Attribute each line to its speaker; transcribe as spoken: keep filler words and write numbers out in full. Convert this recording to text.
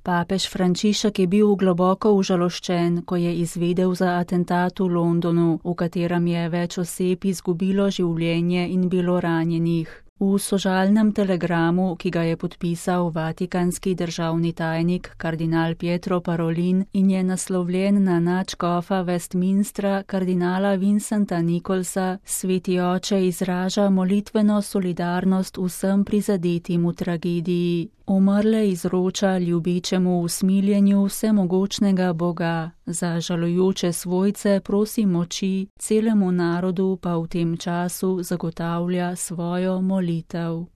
Speaker 1: Papež Frančišek je bil globoko užaloščen, ko je izvedel za atentat v Londonu, v katerem je več oseb izgubilo življenje in bilo ranjenih. V sožalnem telegramu, ki ga je podpisal vatikanski državni tajnik kardinal Pietro Parolin in je naslovljen na nadškofa Westminstra kardinala Vincenta Nicholsa, sveti oče izraža molitveno solidarnost vsem prizadetim v tragediji. Umrle izroča ljubečemu usmiljenju vsemogočnega Boga, za žalujoče svojce prosi moči, celemu narodu pa v tem času zagotavlja svojo molitev.